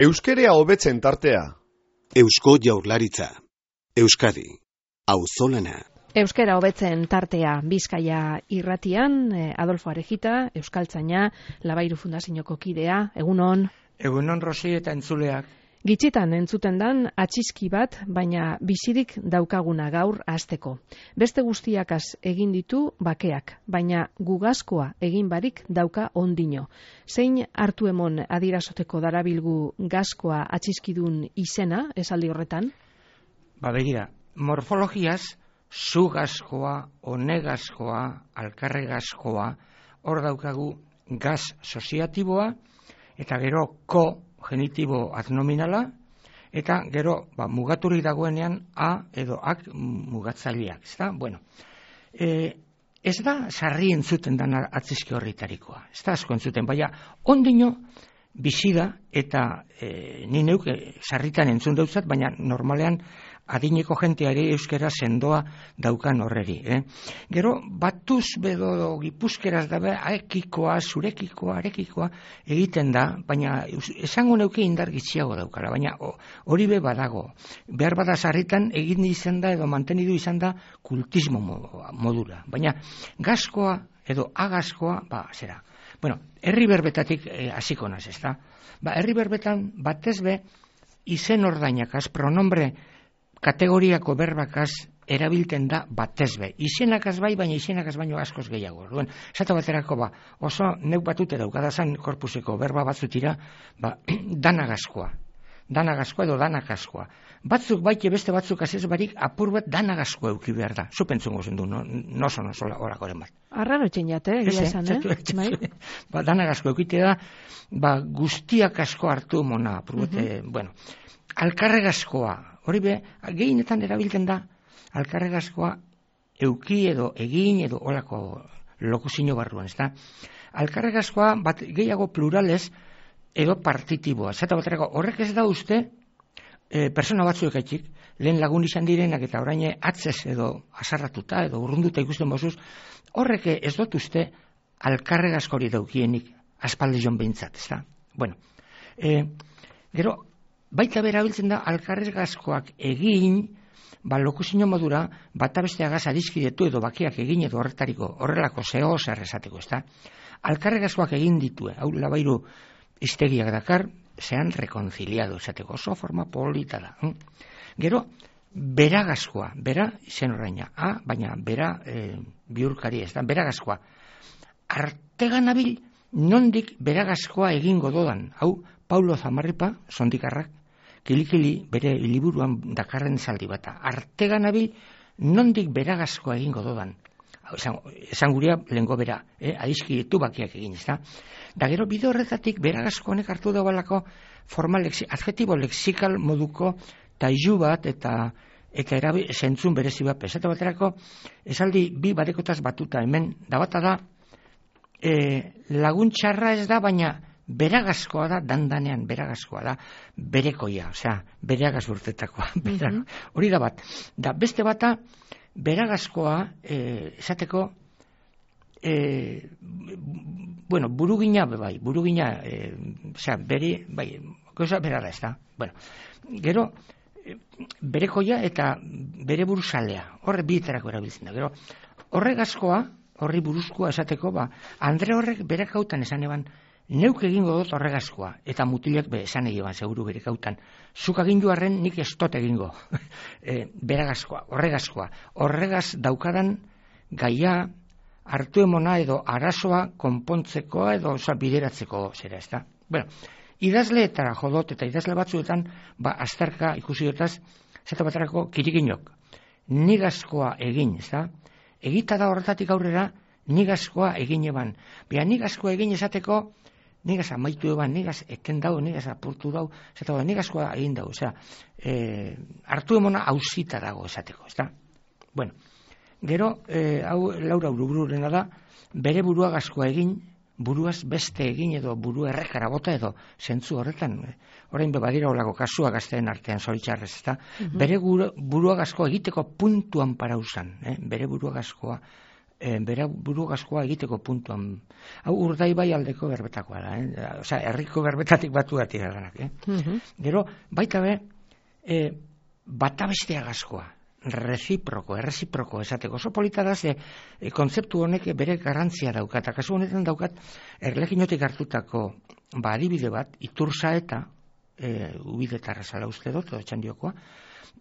Euskerea hobetzen tartea. Eusko Jaurlaritza. Euskadi. Auzolana. Euskera hobetzen tartea Bizkaia irratian, Adolfo Arejita, euskaltzaina, Labairu Fundazioko kidea, egunon. Egunon Rosi eta entzuleak. Gitxitan entzuten dan atxiski bat, baina bizirik daukaguna gaur hasteko. Beste guztiakaz egin ditu bakeak, baina gugazkoa egin barik dauka ondino. Zein hartu emon adierazoteko darabilgu gazkoa atxiskidun izena, esaldi horretan? Begira, morfologiaz, zugazkoa, onegazkoa, alkarregazkoa, hor daukagu gaz soziatiboa, eta gero genitibo adnominala, eta gero mugaturik dagoenean a edo ak mugatzaileak, ezta? Bueno, ez da sarri entzuten dana atziski horritarikoa, ez da asko entzuten, baina ondino bizi da, eta ni neuk sarritan entzun dautzat, baina normalean adineko jenteari euskera sendoa daukan horreri. Gero, batuz bedo gipuzkeraz dabe, aekikoa, zurekikoa, arekikoa egiten da, baina esango neuke indar gitxiago daukala, baina hori be badago. Behar bada sarritan egin izan da edo mantenidu izan da kultismo modura. Baina gazkoa edo agazkoa, zera. Bueno, herri berbetatik hasiko naz, ezta? Herri berbetan batez be izen ordainakaz, pronombre kategoriako berbakaz erabilten da batez be. Izenakaz bai, baina izenakaz baino askoz gehiago. Duen, esate baterako oso neuk batute daukadazan korpuseko berba batzutira, danagazkoa. Danagazkoa edo danakazkoa. Batzuk baite beste batzuk azez barik apur bat danagazkoa euki behar da. Zupentzungo zen du, noso horakoren bat. Arraro etxen jate, gila esan, Danagazkoa eukite da, guztiak asko hartu mona apur bat, bueno. Alkarregazkoa, hori be, gehienetan erabiltzen da, alkarregazkoa euki edo egin edo olako lokuzino barruan, ez da? Alkarregazkoa bat gehiago pluralez edo partitiboa. Zata baterako, horrek ez da uste, persona batzuek aitik, lehen lagun izan direnak eta orain atzez edo azarratuta edo urrunduta ikusten bozuz, horrek ez dut uste alkarregazkori daukienik aspaldi joan behintzat, ez da? Bueno, gero, baita berabiltzen da alkarregazkoak egin, lokuzino modura, bata besteagaz adiskidetu edo bakiak egin edo horrelako zeo zer esateko, ez da? Alkarregazkoak egin ditue, hau Labairu iztegiak dakar, zean rekonciliado esateko, oso forma polita da. Gero, beragazkoa, bera izen horreina, baina bera bihurkari ez da, beragazkoa. Artegan abil, nondik beragazkoa egingo dodan, hau Paulo Zamarripa, sondikarrak, kilikili bere liburuan dakarren zaldi bata. Artegan abil, nondik beragazkoa egingo dodan. Esan gurea lehenko bera, adiskidetu bakiak egin, ez da? Da gero bide horretatik beragazko honek hartu daualako adjetibo lexikal moduko tailu bat eta zentzun berezi bat. Esate baterako, esaldi bi badekotaz batuta hemen, da bata da, laguntxarra ez da, baina beragazkoa da, dandanean beragazkoa da, berekoia, osea, bereagaz urtetakoa. Hori da bat. Da beste bata, beragazkoa, esateko, burugina, osea, goza bera da ez da. Bueno, gero, berekoia eta bere buruzalea, horre bietarako erabiltzen da. Gero, horregazkoa, horri buruzkoa esateko, Andre horrek berekautan esan eban, neuk egingo dut horregazkoa, eta mutilak esan egiban, seguru berekautan. Zuk agindu arren nik ez dut egingo. Beragazkoa, horregazkoa. Horregaz daukadan gaia hartu emona edo arazoa konpontzeko edo bideratzeko zera, ez da? Bueno, idazleetara jodot eta idazle batzuetan, azterka ikusi dutaz, zeta baterako kirikinok. Nigazkoa egin, ez da? Egita da horretatik aurrera, nigazkoa egin eban. Bea nigazkoa egin esateko, nigaz amaitu eban, nigaz eten dau, nigaz apurtu dau, zeta nigazkoa egin dau, osea, hartu emona hausita dago esateko, ez da? Bueno, gero, hau Laura Urubururena da, bere buruagazkoa egin, buruaz beste egin edo buru errekara bota edo zentzu horretan, orain badira olako kasua gazteen artean zoritxarrez, ez da? Bere buruagazkoa egiteko puntuan parauzan, bere buruagazkoa bera buru gaskoa egiteko puntuan. Hau Urdaibai aldeko berbetakoa da, osea, herriko berbetatik batu dira danak, Gero, baita be, bata bestea gaskoa, erreziproko esateko. Oso polita da, kontzeptu honek bere garrantzia daukat, eta kasu honetan daukat, Erleginotik hartutako adibide bat, Iturzaeta, ubidetarra zala uste dut, txandiokoa,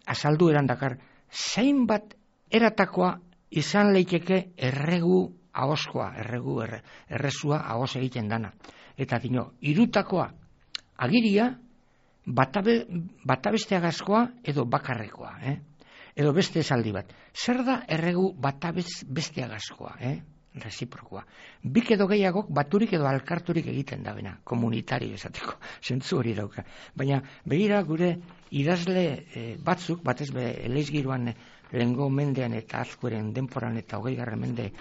azaldu eran dakar, zein bat eratakoa izan leiteke erregu ahoskoa, errezua ahos egiten dana. Eta dino, irutakoa agiria, bata bestea gaskoa edo bakarrekoa, edo beste esaldi bat. Zer da erregu bata bestea gaskoa, reziprokoa. Bik edo gehiagok baturik edo alkarturik egiten da bena, komunitario esateko, zentzu hori dauka. Baina begira gure idazle batzuk, batez be eleizgiruan lehengo mendean eta azkueren denporan eta 20. mende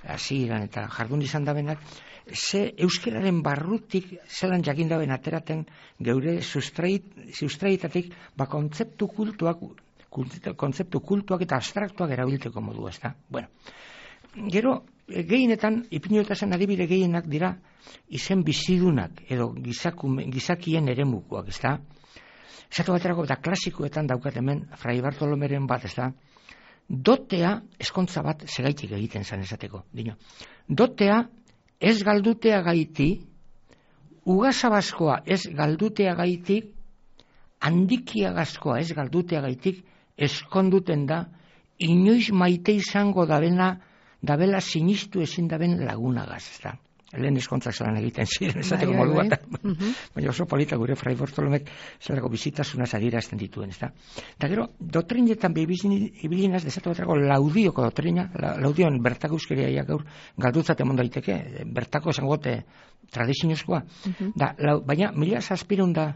hasieran eta jardun izan da benak, ze euskeraren barrutik zelan jakin da ben ateraten geure sustraitatik kontzeptu kultuak eta abstraktuak erabilteko modu, ezta? Bueno, gero, gehienetan, ipinoetazen adibide gehienak dira izen bizidunak edo gizakien eremukoak, ezta? Esatu baterako eta klasikoetan daukat hemen Fray Bartolomeren bat, ezta? Dotea, eskontza bat segaitik egiten zan esateko. Dino. Dotea ez galdutea gaiti, ugazabaskoa ez galdutea gaitik, handikiagazkoa ez galdutea gaitik, eskonduten da, inoiz maite izango dabela sinistu ezin daben lagunagaz, ezta? Lehen eskontzak zelan egiten ziren, esateko modu bat. Baina oso polita gure Fray Bartolomek zelako bizitasunaz adierazten dituen, ezta? Eta gero, dotrinetan ibilinaz, desatu baterako Laudioko dotrina, Laudioan bertako euskeria gaur galdutzat emon daiteke, bertako esangote tradiziozkoa. Baina, 1800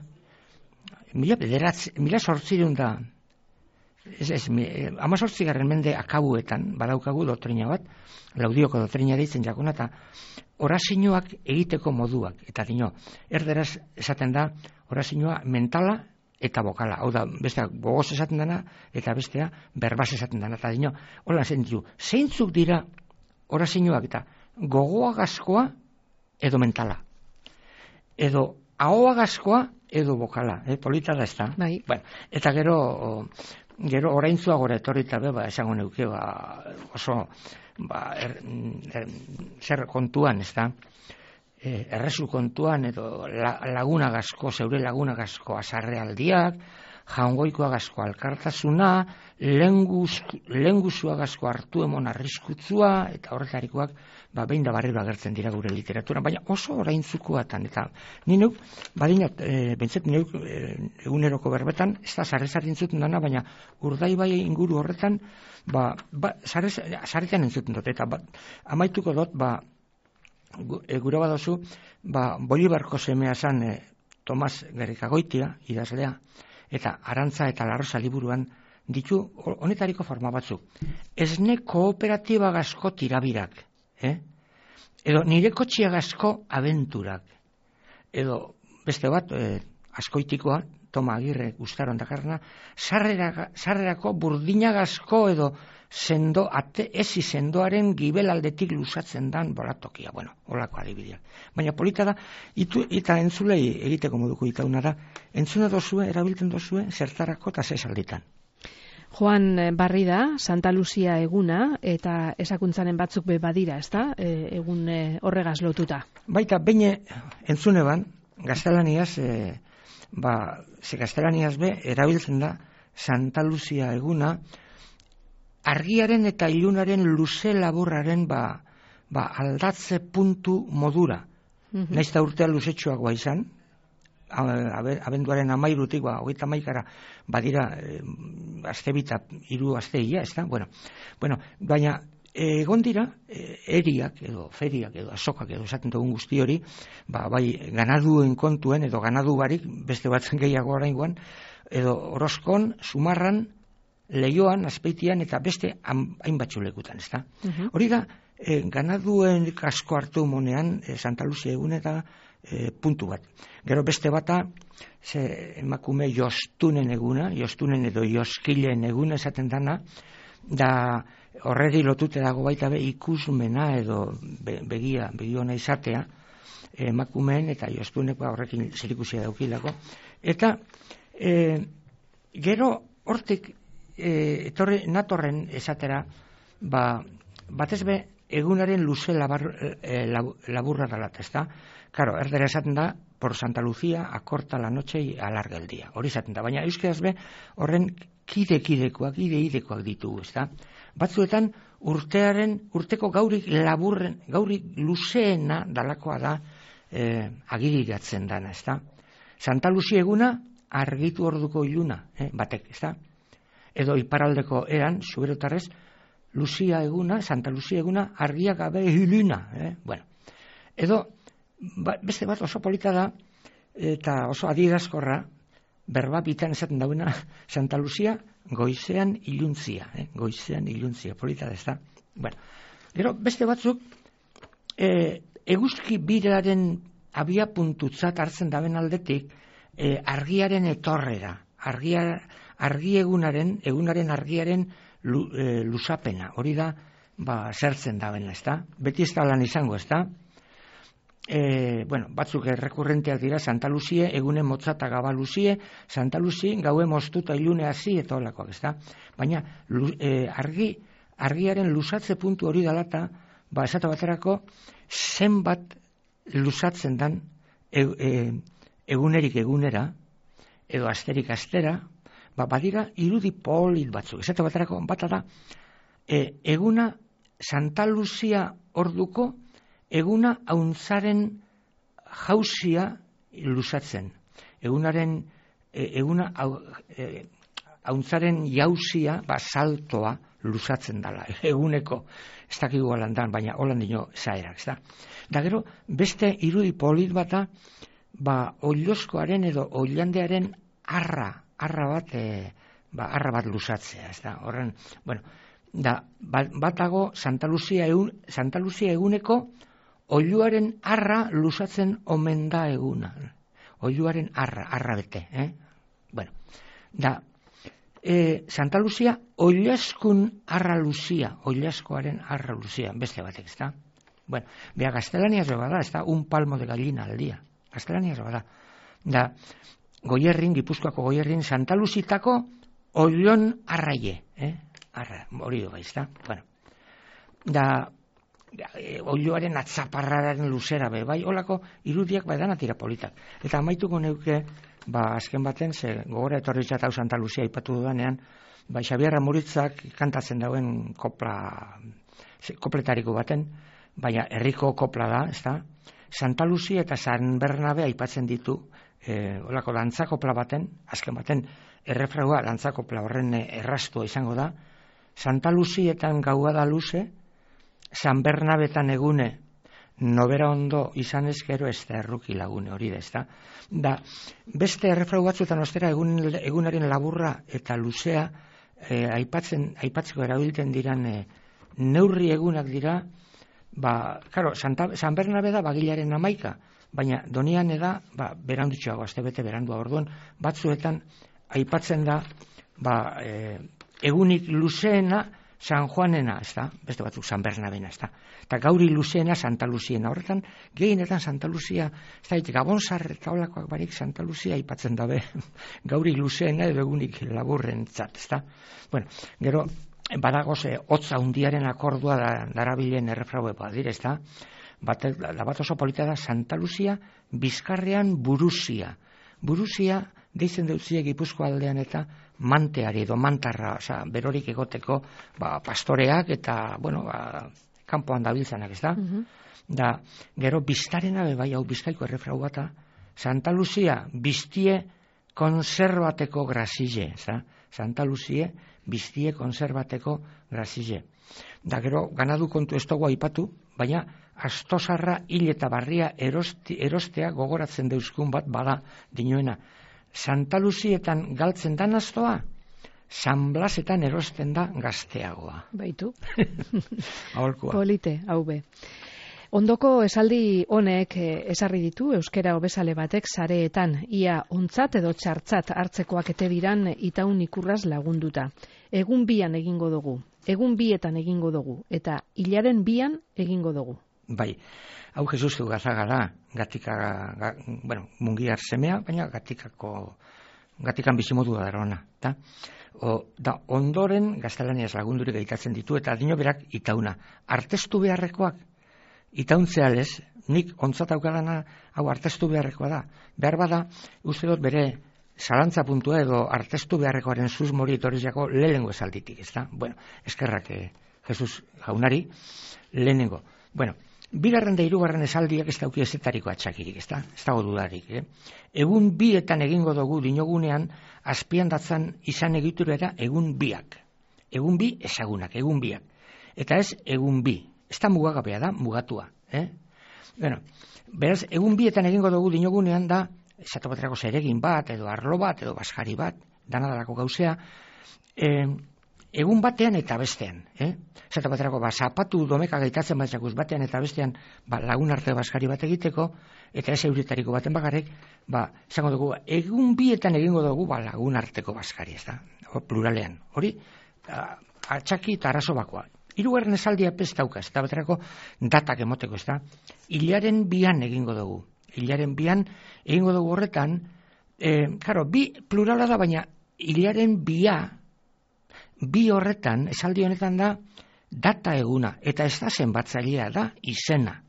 mende akabuetan badaukagu dotrina bat, Laudioko dotrina deitzen jakuna, eta orazioak egiteko moduak. Eta dino, erderaz esaten da, orazioa mentala eta bokala. Hau da, bestea gogoz esaten dana, eta bestea berbaz esaten dana. Eta dino, hola zentu, zeintzuk dira orazioak eta gogoagazkoa edo mentala. Edo ahoagazkoa edo bokala. Polita da ez da. Bai. Bueno, eta gero oraintzua gora etorrita esango neuke, oso zer kontuan, ez da, errezu kontuan, edo lagunagazko, zeure lagunagazko azarrealdiak, jaungoikoagazko alkartasuna, lenguzuagazko hartu emon arriskutzua, eta horretarikoak, behin da barriro agertzen dira gure literaturan, baina oso oraintzukoatan, eta ni neuk, badinat, bentzet neuk eguneroko berbetan, ez da sarrezari entzuten dana, baina Urdaibai inguru horretan, sarretan entzuten dut, eta amaituko dut, gure badozu, Bolibarko semea zan Tomas Gerrikagoitia, idazlea, eta Arantza eta Larrosa liburuan ditu honetariko forma batzuk. Esne kooperatibagazko tirabirak, edo nire kotxiagazko abenturak, edo beste bat, askoitikoa, Toma Agirre gustaron dakarna, sarrerako burdinagazko edo ezi sendoaren gibelaldetik lusatzen dan bolatokia, holako adibideak. Baina polita da, eta entzulei egiteko moduko itauna da, entzuna dozue, erabiltzen dozue, zertarako eta zesalditan. Joan Barrida, Santa Lucia eguna, eta esakuntzaren batzuk badira, ez da, egun horregaz lotuta. Baita, baina entzune ban, gaztelaniaz, gaztelaniaz erabiltzen da, Santa Lucia eguna, argiaren eta ilunaren luze laburraren aldatze puntu modura. Naiz da urtea luzetxoagoa izan, abenduaren 13-tik, 21-kara, badira aste bita, 3 asteia, ez da? Baina egon dira, eriak edo feriak edo azokak edo esaten dugun guzti hori, bai ganaduen kontuen edo ganadu barik, beste batzen gehiago oraingoan, edo Orozkon, Zumarran, Leioan, Azpeitian eta beste hainbatxu lekutan, ez da? Hori da, ganaduen asko hartu monean, Santa Lucia egun eta puntu bat. Gero beste bata, emakume jostunen eguna, jostunen edo joskilen eguna esaten dana, Da horreri lotute dago baita be ikusmena edo begiona izatea, emakumeen eta joztunek horrekin zerikusia daukilako. Eta gero hortik natorren esatera, batez be egunaren luze laburra dalat, ezta? Karo, erdera esaten da, por Santa Lucía acorta la noche y alarga el día. Hori esaten da, baina euskaraz be horren kide-idekoak ditugu, ezta? Batzuetan urteko gaurik luzeena dalakoa da agiriratzen dana, ezta? Santa Lucia eguna argitu orduko iluna, batek, ezta? Edo iparraldeko eran, zuberotarrez, Santa Lucia eguna argia gabe iluna, bueno. Edo, beste bat oso polita da, eta oso adierazkorra, berba bitan esaten dauena, Santa Lucia goizean iluntzia, polita da, ezta? Bueno, gero, beste batzuk, eguzki biraren abia puntutzat hartzen daben aldetik, argiaren etorrera, argi egunaren argiaren lusapena, hori da, zertzen daben, ezta? Beti ez da lan izango, ezta? Bueno, batzuk errekurrenteak dira Santa Lucie, egunen motza eta gaba Lucie, Santa Lucie gaue moztuta ilune hasi eta holakoak, ezta? Baina argiaren lusatze puntu hori dalata, esate baterako zenbat lusatzen dan egunerik egunera, edo asterik astera, badira irudi polit batzuk. Esate baterako bata da, eguna Santa Lucia orduko eguna auntzaren jauzia lusatzen. Eguna auntzaren jauzia, saltoa lusatzen dala. Eguneko, ez dakigu alandan, baina holan dino zaerak, ez da. Da gero, beste irudi polit bata, oilozkoaren edo oilandearen arra bat lusatzea, ez da. Horren, bueno, batago Santa Lucia eguneko oiluaren arra lusatzen omen da eguna. Oiluaren arra bete, Bueno, Santa Lucia oilaskun arra luzia, oilaskoaren arra luzia, beste batek, ez da? Bueno, beha gaztelaniaz bada, ez da, un palmo de gallina al día. Gaztelaniaz bada. Da, Gipuzkoako Goierrin, Santa Lucitako oilon arraie, arra, hori dugu, ez da? Bueno, da, oiloaren atzaparraren luzera be, bai, holako irudiak edan atira politak. Eta amaituko neuke, azken baten, gogora etorritzat hau Santa Lucia ipatu dudanean, Xabier Ramuritzak kantatzen dauen kopletariko baten, baina herriko kopla da, ez da? Santa Lucia eta San Bernabe aipatzen ditu, holako dantzakopla baten, azken baten, errefraua dantzakopla horren errastua izango da, Santa Lucietan gaua da luze, San Bernabetan egune, nobera ondo izan ezkero ez da erruki lagune hori da, ez da? Da, beste errefrau batzuetan ostera egunaren laburra eta luzea aipatzeko erabiltzen diran neurri egunak dira, claro, San Bernabe da bagilaren 11, baina donian eda, berandutxoago, astebete berandua orduan, batzuetan aipatzen da, egunik luzeena San Juanena, ez da, beste batzuk San Bernabena, ez da, eta gauri luzeena Santa Luciena, horretan, gehienetan Santa Lucia, ez da, Gabonzar eta holakoak barik Santa Lucia aipatzen dabe, gauri luzeena edo egunik laburren zat, ez da. Bueno, gero, badagoz, hotza hundiaren akordua darabilen errefraue badire, ez da, bat oso polita da Santa Lucia, Bizkarrean Buruzia. Buruzia, deitzen dutzie Gipuzko aldean eta manteari edo mantarra, berorik egoteko pastoreak eta, kanpoan dabiltzanak, ez da? Da, gero biztarena bai hau Bizkaiko errefrau bata, Santa Lucia biztie konserbateko grazile, ez da? Santa Lucia biztie konserbateko grazile. Da, gero, ganadu kontu ez dugu aipatu, baina astosarra hil eta barria erostea gogoratzen deuzkun bat bada dinoena. Santa Lucietan galtzen dan astoa, San Blasetan erosten da gazteagoa. Baitu. Aholkua. Polite, hau be. Ondoko esaldi honek esarri ditu euskera hobesale batek sareetan, ia ontzat edo txartzat hartzekoak ete diran itaun ikurraz lagunduta. Egun bian egingo dugu. egun bietan egingo dugu, eta hilaren bian egingo dugu. Bai, hau Jesus Gazaga da, mungiar semea, baina gatikan bizimodu da ona, da? Da ondoren gaztelaniaz lagundurik egitatzen ditu, eta adino berak itauna. Artestu beharrekoak, itauntzea lez, nik ontzat aukadana, hau artestu beharrekoa da. Behar bada, uste dut bere zalantza puntua edo artestu beharrekoaren susmori etorriako lehenengo esalditik, ez da? Bueno, eskerrak Jesus jaunari, lehenengo. Bueno, bigarren da hirugarren esaldiak ez dauki ezetariko atxakirik, ez da? Ez dago dudarik, Egun bietan egingo dugu dinogunean, azpian datzan izan egiturera egun biak. Egun bi ezagunak, egun biak. Eta ez egun bi. Ez da mugagabea da, mugatua. Bueno, beraz, egun bietan egingo dugu dinogunean da, esatu baterako zeregin bat, edo arlo bat, edo basjari bat, danadalako gauzea, egun batean eta bestean. Esatu baterako, zapatu domeka gaitatzen batzakuz batean eta bestean, lagun arte basjari bat egiteko, eta ez euretariko baten bakarrik, esango dugu, egun bietan egingo dugu lagun arteko basjari, ez da, pluralean. Hori, atxaki eta arazo bakoa. Hirugarren esaldia pestauka, ez da baterako datak emoteko, ez da, hilaren bian egingo dugu. Hilaren bian egingo dugu horretan, bi plurala da, baina hilaren bi horretan, esaldi honetan da, data eguna, eta ez da zenbatzailea da, izena.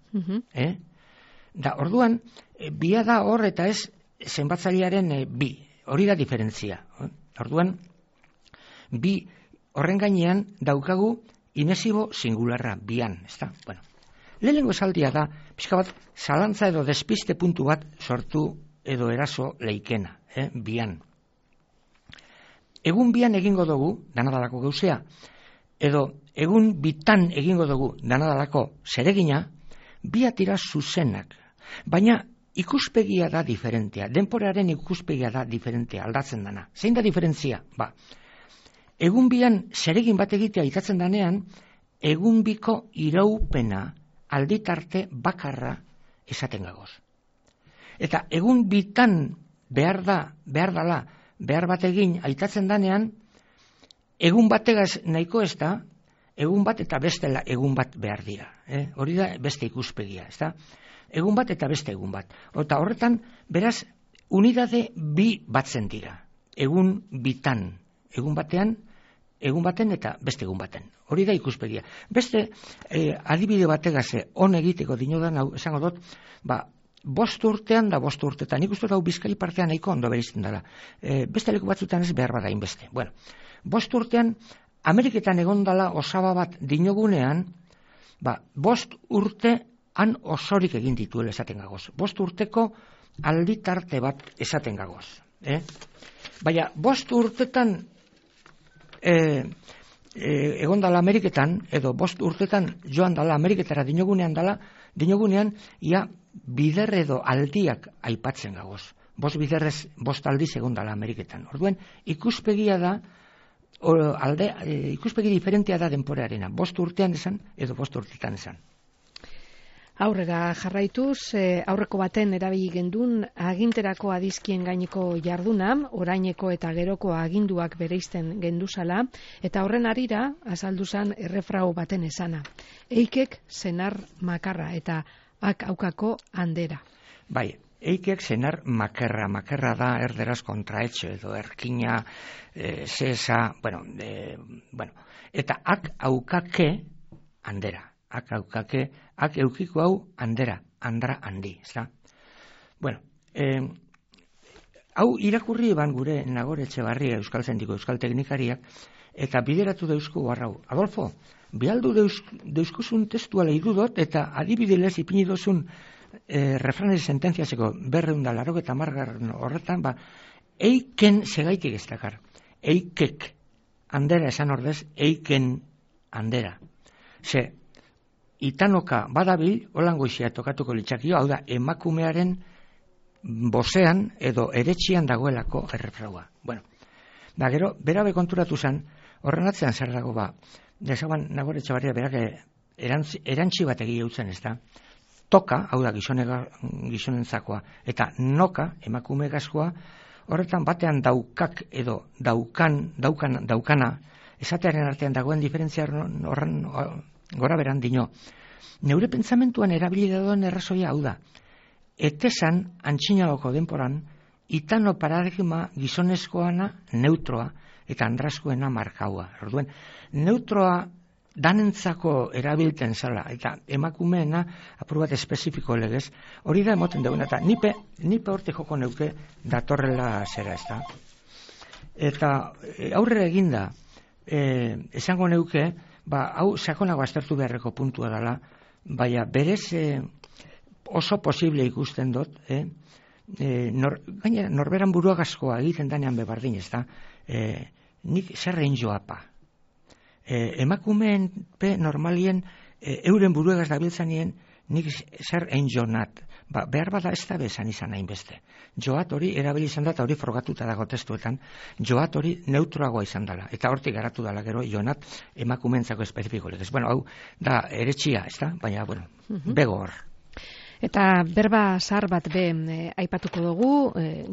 Da, orduan, bia da hor eta ez zenbatzailearen bi, hori da diferentzia. Orduan, bi horren gainean daukagu inesibo singularra, bian, ez da? Bueno, lehenengo esaldia da, pixka bat, zalantza edo despiste puntu bat sortu edo eraso leikena, bian. Egun bian egingo dugu, danadalako gauzea, edo egun bitan egingo dugu, danadalako zeregina, biatira zuzenak. Baina ikuspegia da diferentea, denporaren ikuspegia da diferentea, aldatzen dana. Zein da diferentzia? Egun bian zeregin bat egitea itatzen danean, egun biko iraupena alditarte bakarra esaten gagoz. Eta egun bitan behar bat egin aitatzen danean, egun bategaz nahiko ez da, egun bat eta bestela egun bat behar dira. Hori da beste ikuspegia, ez da? Egun bat eta beste egun bat. Eta horretan, beraz, unidade bi batzen dira. Egun bitan, egun baten eta beste egun baten. Hori da ikuspegia. Beste adibide bategaz on egiteko dinodan, esango dut, 5 urtean da 5 urtetan. Nik uste hau Bizkai partean nahiko ondo berizten dela. Beste leku batzutan ez behar bada inbeste. 5 urtean, Ameriketan egondala osaba bat dinogunean, 5 urte han osorik egin dituela esaten gagoz. 5 urteko alditarte bat esaten gagoz. Baina, 5 urtetan egondala Ameriketan, edo 5 urtetan joan dala Ameriketara dinogunean, ia bider edo aldiak aipatzen gagoz. 5 biderrez 5 aldiz egondala Ameriketan. Orduen, ikuspegia da, ikuspegi diferentea da denporearena. 5 urtean esan, edo 5 urtetan esan. Aurrera jarraituz, aurreko baten erabili gendun aginterako adizkien gaineko jarduna, oraineko eta geroko aginduak bereizten genduzala, eta horren harira azalduzan errefrau baten esana. Eikek senar makarra eta ak aukako handera. Bai, eikek senar makerra da erderaz kontraetxe edo erkina, zesa, eta ak aukake handera. Ak aukake, ak eukiko hau handera, handra handi, ez da? Bueno, hau irakurri eban gure Nagore Etxebarria Euskal Zendiko Euskal Teknikariak, eta bideratu deusku barrau. Adolfo, bialdu deuskuzun testua lehidu dut, eta adibidez ipini dozun refranez sententziazeko 280 horretan, eiken segaitik ez dakar. Eikek, handera esan ordez, eiken handera. Ze, itanoka badabil, holango izia tokatuko litzakio, hau da, emakumearen bozean edo eretxian dagoelako errefraua. Bueno, gero, berabe konturatu zen, horren atzean zer dago desaban Nagore Etxebarria berak erantzi bat egia utzen, ez da? Toka, hau da, gizonentzakoa, eta noka, emakume gazkoa, horretan batean daukak edo daukana, esatearen artean dagoen diferentzia horren gora beran dino. Neure pentsamentuan erabili dagoen errazoia hau da. Etesan, antxinagoko denporan, itano paradigma gizonezkoana neutroa eta andraskoena markaua. Orduen, neutroa danentzako erabilten zala, eta emakumeena apur bat espezifiko legez, hori da emoten duguna, eta nipe horte joko neuke datorrela zera, ez da. Eta aurrera eginda, esango neuke, hau sakonago aztertu beharreko puntua dela, baina berez oso posible ikusten dut, gainera norberan buruagazkoa egiten danean bebardin, ez da, nik zer egin joapa. Emakumeen normalien euren buruegaz dabiltzanien nik zer egin jonat. Behar bada ez da bezan izan hainbeste. Joat hori erabili izan da, eta hori frogatuta dago testuetan, joat hori neutroagoa izan dela. Eta hortik garatu dela gero jonat emakumeentzako espezifiko legez. Bueno, hau da eretxia, ez da? Baina, bueno, bego hor. Eta berba zahar bat aipatuko dugu,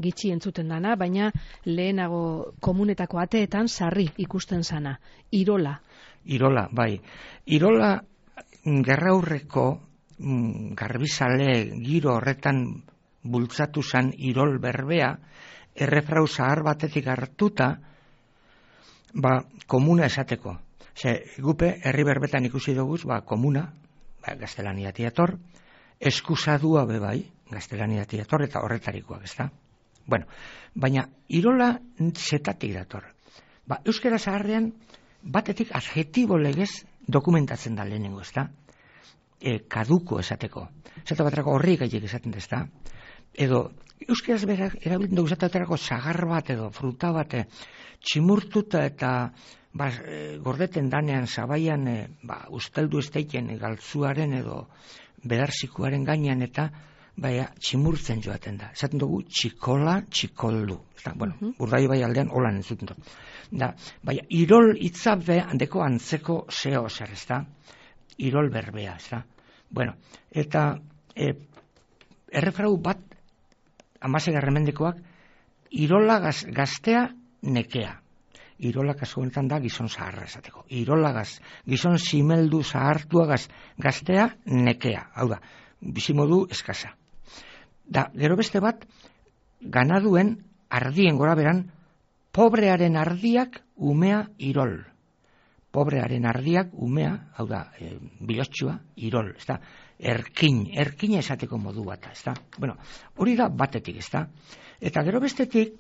gitxi entzuten dana, baina lehenago komunetako ateetan sarri ikusten zana. Irola. Irola, bai. Irola gerraurreko garbizale giro horretan bultzatu zan irol berbea, errefrau zahar batetik hartuta, komuna esateko. Gupe, herri berbetan ikusi dugu, komuna, gaztelania tiator, eskusadua bebai, gaztelania tiator, eta horretarikoak, ez da? Bueno, baina irola zetatik dator. Euskara zaharrean, batetik adjetibo legez dokumentatzen da lehenengo, ez da? Kaduko esateko. Zata baterako horri gaiek esaten da, ez da? Edo, euskaraz berak erabiltzen dugu zata baterako zagar bat edo fruta bat tximurtuta eta gordeten danean zabaian usteldu esteiken galtzuaren edo bedarzikuaren gainean eta tximurtzen joaten da. Esaten dugu txikola, txikoldu. Bueno, Urdai bai aldean holan entzuten dut. Baina, irol itzabe handeko antzeko zeo zer, ez da? Irol berbea, ez da? Bueno, eta errefrau bat, 16 mendekoak, irola gaztea nekea. Irola kasu honetan da gizon zaharra esateko. Irola gizon simeldu zahartua gaztea nekea. Hau da, bizimodu eskasa. Gero beste bat, ganaduen ardien gora beran, pobrearen ardiak umea irol. Pobrearen ardiak umea, hau da, bilotxua, irol, ez da, erkina esateko modu bat, ez da. Bueno, hori da batetik, ez da. Eta gero bestetik,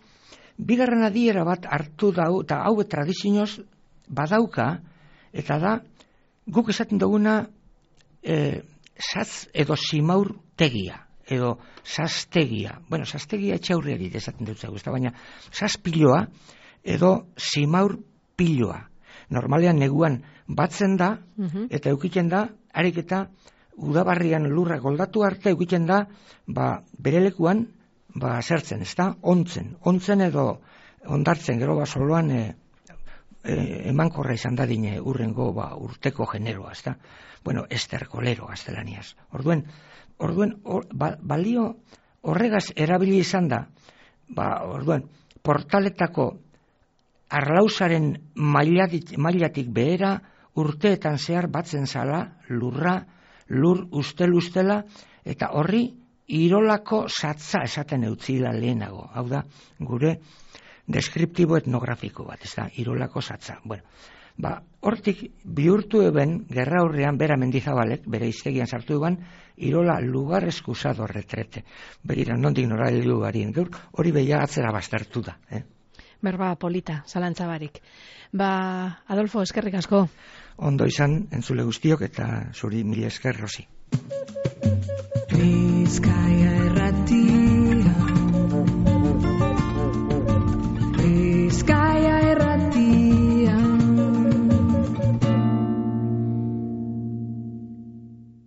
bigarren adiera bat hartu dau, eta hau tradizioz badauka, eta da, guk esaten duguna satz edo simaur tegia, edo saztegia. Bueno, saztegia etxaurriari esaten dut zego, baina sazpiloa edo simaur piloa. Normalean neguan batzen da, eta eukiten da, harik eta udabarrian lurra goldatu arte eukiten da, berelekuan, zertzen, ez da, ontzen edo ondartzen, gero soloan emankorra izan dadine urrengo urteko generoa, ez da. Bueno, esterkolero gaztelaniaz. Orduen, balio horregaz erabili izan da, orduen, portaletako arlauzaren mailatik behera urteetan zehar batzen zala lur ustela, eta horri irolako satza esaten eutzila lehenago. Hau da, gure deskriptibo etnografiko bat, ez da, irolako satza. Bueno, hortik bihurtu eben, gerra aurrean, bera Mendizabalek, bere iztegian sartu eban, irola lugar eskusado retrete. Begira, nondik nora heldugarien, hori beia atzera baztertu da. Berba polita, zalantzabarik. Adolfo, eskerrik asko. Ondo izan, entzule guztiok, eta zuri mila esker, Rosi. Bizkaia